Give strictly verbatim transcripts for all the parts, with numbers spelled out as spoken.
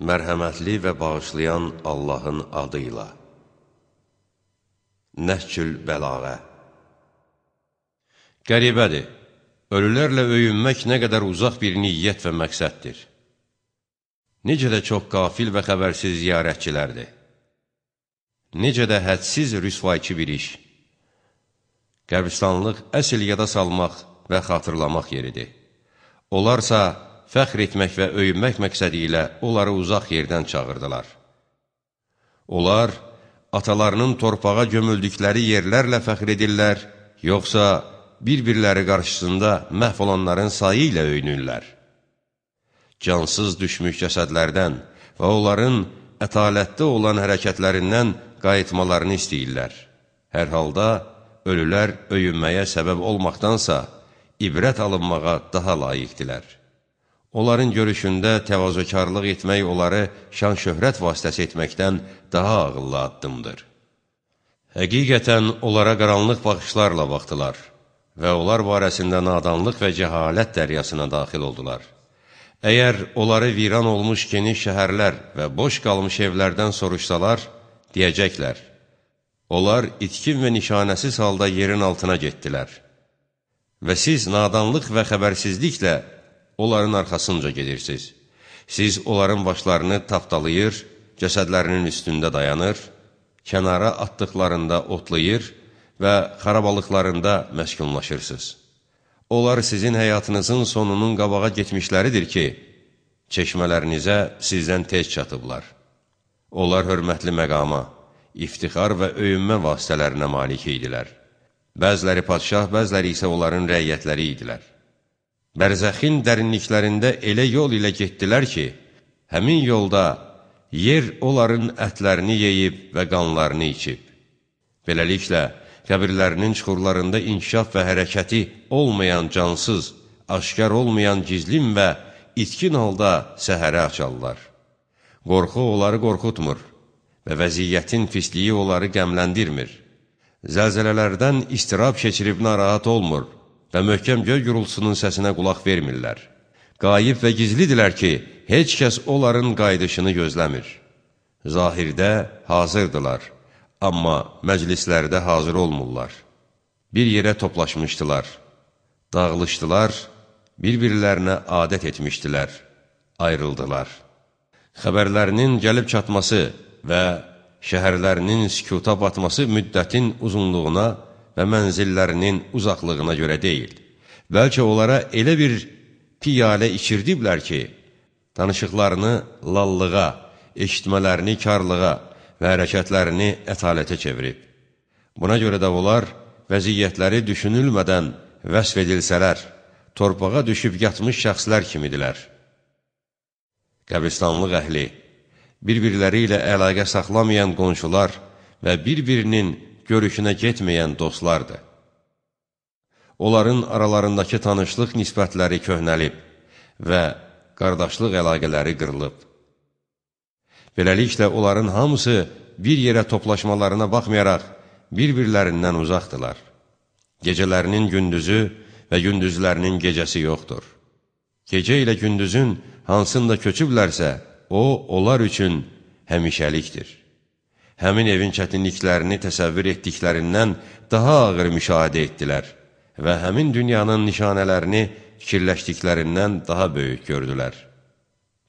Mərhəmətli və bağışlayan Allahın adıyla. Nəhcül Bəlağə. Qəribədir, ölülərlə öyünmək nə qədər uzaq bir niyyət və məqsəddir. Necə də çox qafil və xəbərsiz ziyarətçilərdir. Necə də hədsiz rüsvayçı bir iş. Qəbristanlıq əsl yada salmaq və xatırlamaq yeridir. Onlarsa fəxr etmək və öyünmək məqsədi ilə onları uzaq yerdən çağırdılar. Onlar, atalarının torpağa gömüldükləri yerlərlə fəxr edirlər, yoxsa bir-birləri qarşısında məhv olanların sayı ilə öyünürlər. Cansız düşmüş cəsədlərdən və onların ətalətdə olan hərəkətlərindən qayıtmalarını istəyirlər. Hər halda ölülər öyünməyə səbəb olmaqdansa, ibrət alınmağa daha layiqdilər. Onların görüşündə təvazökarlıq etmək onları şan-şöhrət vasitəsi etməkdən daha ağıllı addımdır. Həqiqətən onlara qaranlıq baxışlarla baxdılar və onlar barəsində nadanlıq və cəhalət dəryasına daxil oldular. Əgər onları viran olmuş geniş şəhərlər və boş qalmış evlərdən soruşsalar, deyəcəklər, onlar itkin və nişanəsiz halda yerin altına getdilər və siz nadanlıq və xəbərsizliklə onların arxasınca gedirsiniz. Siz onların başlarını tapdalayır, cəsədlərinin üstündə dayanır, kənara atdıqlarında otlayır və xarabalıqlarında məskunlaşırsınız. Onlar sizin həyatınızın sonunun qabağa getmişləridir ki, çeşmələrinizə sizdən tez çatıblar. Onlar hörmətli məqama, iftixar və öyünmə vasitələrinə malik idilər. Bəziləri padşah, bəziləri isə onların rəiyyətləri idilər. Bərzəxin dərinliklərində elə yol ilə getdilər ki, həmin yolda yer onların ətlərini yeyib və qanlarını içib. Beləliklə, qəbirlərinin çuxurlarında inkişaf və hərəkəti olmayan cansız, aşkar olmayan gizlin və itkin halda səhərə açarlar. Qorxu onları qorxutmur və vəziyyətin pisliyi onları qəmləndirmir. Zəlzələlərdən istirab keçirib narahat olmur və möhkəm göy gürültüsünün səsinə qulaq vermirlər. Qayib və gizlidirlər ki, heç kəs onların qayıdışını gözləmir. Zahirdə hazırdılar, amma məclislərdə hazır olmurlar. Bir yerə toplaşmışdılar, dağılışdılar, bir-birlərinə adət etmişdilər, ayrıldılar. Xəbərlərinin gəlib çatması və şəhərlərinin sükuta batması müddətin uzunluğuna və mənzillərinin uzaqlığına görə deyil. Bəlkə onlara elə bir piyalə içirdiblər ki, danışıqlarını lallığa, eşitmələrini karlığa və hərəkətlərini ətalətə çevirib. Buna görə də onlar vəziyyətləri düşünülmədən vəsf edilsələr, torpağa düşüb yatmış şəxslər kimidirlər. Qəbristanlıq əhli, bir-birləri ilə əlaqə saxlamayan qonşular və bir-birinin görüşünə getməyən dostlardır. Onların aralarındakı tanışlıq nisbətləri köhnəlib və qardaşlıq əlaqələri qırılıb. Beləliklə, onların hamısı bir yerə toplaşmalarına baxmayaraq bir-birlərindən uzaqdılar. Gecələrinin gündüzü və gündüzlərinin gecəsi yoxdur. Gecə ilə gündüzün hansında köçüblərsə, o, onlar üçün həmişəlikdir. Həmin evin çətinliklərini təsəvvür etdiklərindən daha ağır müşahidə etdilər və həmin dünyanın nişanələrini fikirləşdiklərindən daha böyük gördülər.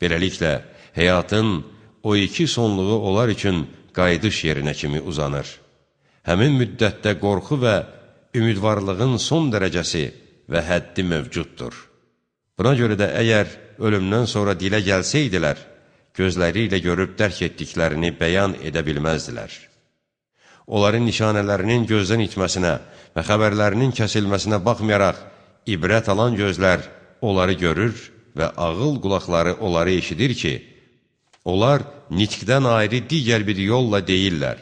Beləliklə, həyatın o iki sonluğu onlar üçün qayıdış yerinə kimi uzanır. Həmin müddətdə qorxu və ümidvarlığın son dərəcəsi və həddi mövcuddur. Buna görə də əgər ölümdən sonra dilə gəlsəydilər, gözləri ilə görüb dərk etdiklərini bəyan edə bilməzdilər. Onların nişanələrinin gözdən itməsinə və xəbərlərinin kəsilməsinə baxmayaraq, ibrət alan gözlər onları görür və ağıl qulaqları onları eşidir ki, onlar nitqdən ayrı digər bir yolla deyirlər.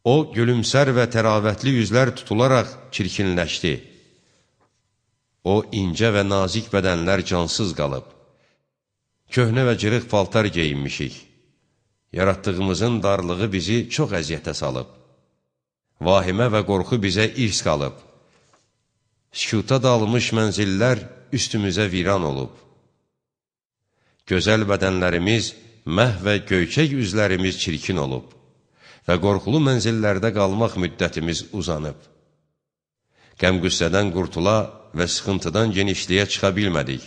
O, gülümsər və təravətli üzlər tutularaq çirkinləşdi. O, incə və nazik bədənlər cansız qalıb. Köhnə və cırıq paltar geyinmişik. Yaratdığımızın darlığı bizi çox əziyyətə salıb. Vahimə və qorxu bizə irs qalıb. Sükuta dalmış mənzillər üstümüzə viran olub. Gözəl bədənlərimiz məhv və göyçək üzlərimiz çirkin olub və qorxulu mənzillərdə qalmaq müddətimiz uzanıb. Qəm-qüssədən qurtula və sıxıntıdan genişliyə çıxa bilmədik.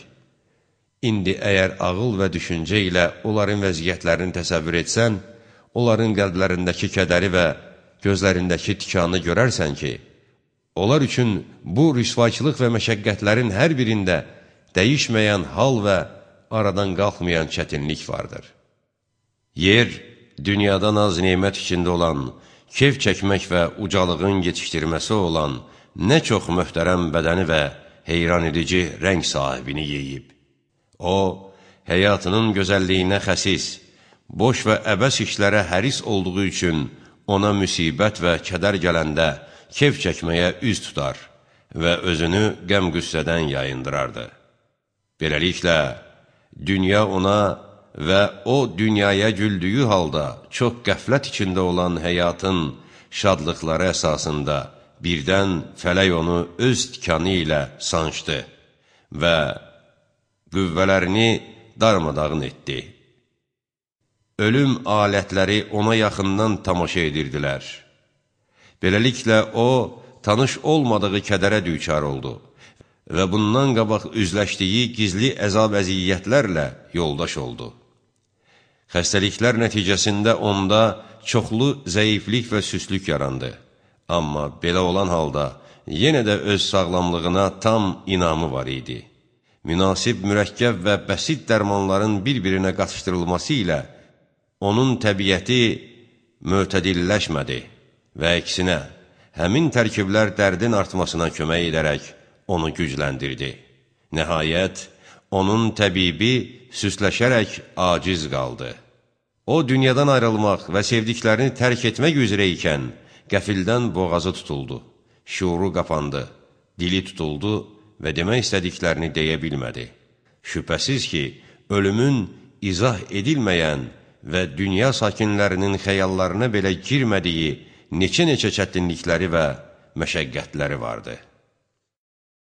İndi əgər ağıl və düşüncə ilə onların vəziyyətlərini təsəvvür etsən, onların qəlblərindəki kədəri və gözlərindəki tikanı görərsən ki, onlar üçün bu rüsvaçılıq və məşəqqətlərin hər birində dəyişməyən hal və aradan qalxmayan çətinlik vardır. Yer, dünyada naz-nemət içində olan, keyf çəkmək və ucalığın yetişdirməsi olan nə çox möhtərəm bədəni və heyran edici rəng sahibini yeyib. O, həyatının gözəlliyinə xəsis, boş və əbəs işlərə həris olduğu üçün ona müsibət və kədər gələndə keyf çəkməyə üz tutar və özünü qəm-qüssədən yayındırardı. Beləliklə, dünya ona və o dünyaya güldüyü halda çox qəflət içində olan həyatın şadlıqları əsasında birdən fələk onu öz tikanı ilə sancdı və qüvvələrini darmadağın etdi. Ölüm alətləri ona yaxından tamaşa edirdilər. Beləliklə, o, tanış olmadığı kədərə düçar oldu və bundan qabaq üzləşdiyi gizli əzab-əziyyətlərlə yoldaş oldu. Xəstəliklər nəticəsində onda çoxlu zəiflik və süslük yarandı. Amma belə olan halda yenə də öz sağlamlığına tam inamı var idi. Münasib, mürəkkəb və bəsit dərmanların bir-birinə qatışdırılması ilə onun təbiəti mötədilləşmədi və əksinə, həmin tərkiblər dərdin artmasına kömək edərək onu gücləndirdi. Nəhayət, onun təbibi süsləşərək aciz qaldı. O, dünyadan ayrılmaq və sevdiklərini tərk etmək üzrə ikən, qəfildən boğazı tutuldu, şuuru qapandı, dili tutuldu və demək istədiklərini deyə bilmədi. Şübhəsiz ki, ölümün izah edilməyən və dünya sakinlərinin xəyallarına belə girmədiyi neçə-neçə çətinlikləri və məşəqqətləri vardı.